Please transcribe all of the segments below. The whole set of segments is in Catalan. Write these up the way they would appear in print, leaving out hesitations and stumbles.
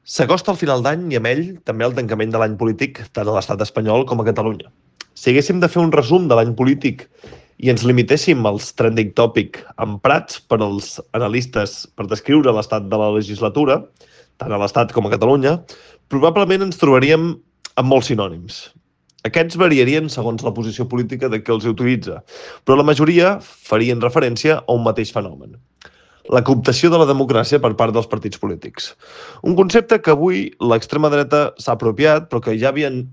S'acosta el final d'any i amb ell també el tancament de l'any polític tant a l'estat espanyol com a Catalunya. Si haguéssim de fer un resum de l'any polític i ens limitéssim als trending topic emprats per als analistes per descriure l'estat de la legislatura, tant a l'estat com a Catalunya, probablement ens trobaríem amb molts sinònims. Aquests variarien segons la posició política de qui els utilitza, però la majoria farien referència a un mateix fenomen: la cooptació de la democràcia per part dels partits polítics. Un concepte que avui l'extrema dreta s'ha apropiat, però que ja havien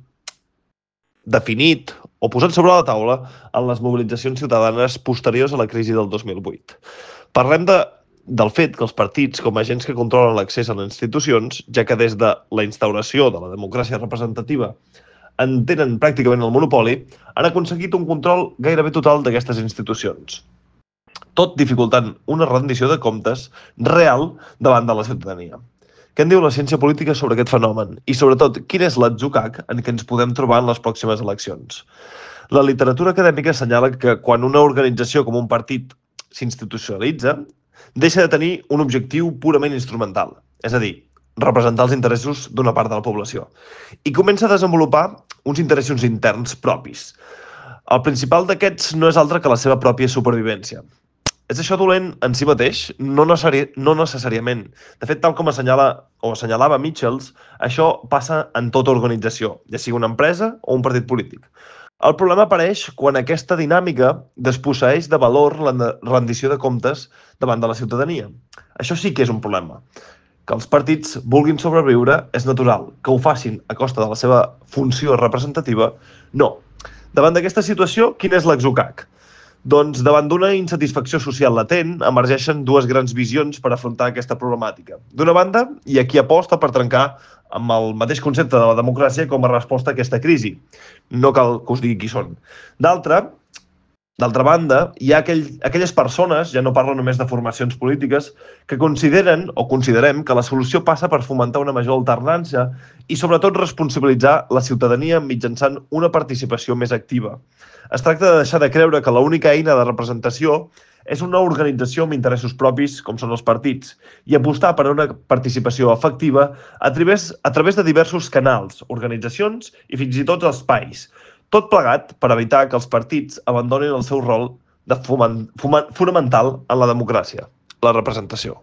definit o posat sobre la taula en les mobilitzacions ciutadanes posteriors a la crisi del 2008. Parlem del fet que els partits, com a agents que controlen l'accés a les institucions, ja que des de la instauració de la democràcia representativa en tenen pràcticament el monopoli, han aconseguit un control gairebé total d'aquestes institucions, tot dificultant una rendició de comptes real davant de la ciutadania. Què en diu la ciència política sobre aquest fenomen? I, sobretot, quin és l'atzucac en què ens podem trobar en les pròximes eleccions? La literatura acadèmica assenyala que quan una organització com un partit s'institucionalitza, deixa de tenir un objectiu purament instrumental, és a dir, representar els interessos d'una part de la població, i comença a desenvolupar uns interessos interns propis. El principal d'aquests no és altre que la seva pròpia supervivència. És això dolent en si mateix? No necessàriament. De fet, tal com assenyalava Michels, això passa en tota organització, ja sigui una empresa o un partit polític. El problema apareix quan aquesta dinàmica desposseeix de valor la rendició de comptes davant de la ciutadania. Això sí que és un problema. Que els partits vulguin sobreviure és natural. Que ho facin a costa de la seva funció representativa, no. Davant d'aquesta situació, quin és l'atzucac? Doncs davant d'una insatisfacció social latent emergeixen dues grans visions per afrontar aquesta problemàtica. D'una banda, hi ha qui aposta per trencar amb el mateix concepte de la democràcia com a resposta a aquesta crisi. No cal que us digui qui són. D'altra banda, hi ha aquelles persones, ja no parlo només de formacions polítiques, que consideren o considerem que la solució passa per fomentar una major alternança i sobretot responsabilitzar la ciutadania mitjançant una participació més activa. Es tracta de deixar de creure que l'única eina de representació és una organització amb interessos propis, com són els partits, i apostar per una participació efectiva a través de diversos canals, organitzacions i fins i tot espais. Tot plegat per evitar que els partits abandonin el seu rol fonamental en la democràcia, la representació.